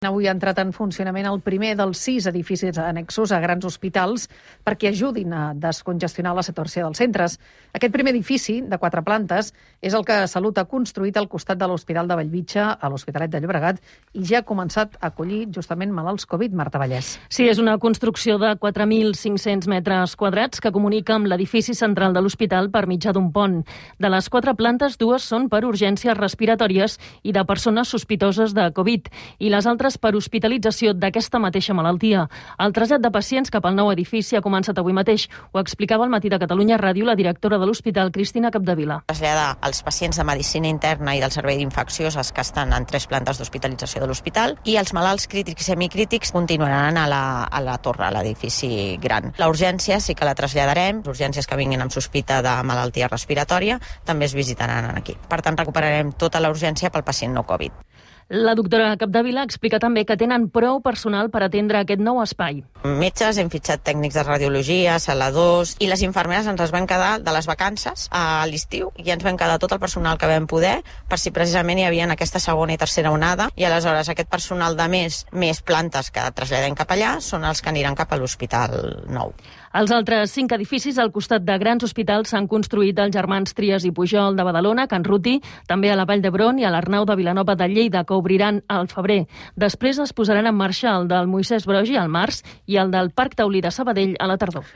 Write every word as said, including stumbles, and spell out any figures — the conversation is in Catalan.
Avui ha entrat en funcionament el primer dels sis edificis annexos a grans hospitals perquè ajudin a descongestionar la saturació dels centres. Aquest primer edifici, de quatre plantes, és el que Salut ha construït al costat de l'Hospital de Bellvitge, a l'Hospitalet de Llobregat, i ja ha començat a acollir justament malalts Covid. Marta Vallès. Sí, és una construcció de quatre mil cinc-cents metres quadrats que comunica amb l'edifici central de l'hospital per mitjà d'un pont. De les quatre plantes, dues són per urgències respiratòries i de persones sospitoses de Covid, i les altres per hospitalització d'aquesta mateixa malaltia. El trasllat de pacients cap al nou edifici ha començat avui mateix. Ho explicava al Matí de Catalunya Ràdio la directora de l'hospital, Cristina Capdevila. Traslladar els pacients de medicina interna i del servei d'infeccioses que estan en tres plantes d'hospitalització de l'hospital, i els malalts crítics i semicrítics continuaran a la, a la torre, a l'edifici gran. La urgència sí que la traslladarem. Les urgències que vinguin amb sospita de malaltia respiratòria també es visitaran aquí. Per tant, recuperarem tota la urgència pel pacient no Covid. La doctora Capdevila explica també que tenen prou personal per atendre aquest nou espai. Metges, hem fitxat tècnics de radiologia, saladors, i les infermeres ens les van quedar de les vacances a l'estiu i ens van quedar tot el personal que vam poder per si precisament hi havia aquesta segona i tercera onada, i aleshores aquest personal de més, més plantes que traslladem cap allà són els que aniran cap a l'hospital nou. Els altres cinc edificis al costat de grans hospitals s'han construït els germans Trias i Pujol de Badalona, Can Ruti, també a la Vall d'Hebron i a l'Arnau de Vilanova de Lleida, que obriran al febrer. Després es posaran en marxa el del Moisès Broggi al març i el del Parc Taulí de Sabadell a la tardor.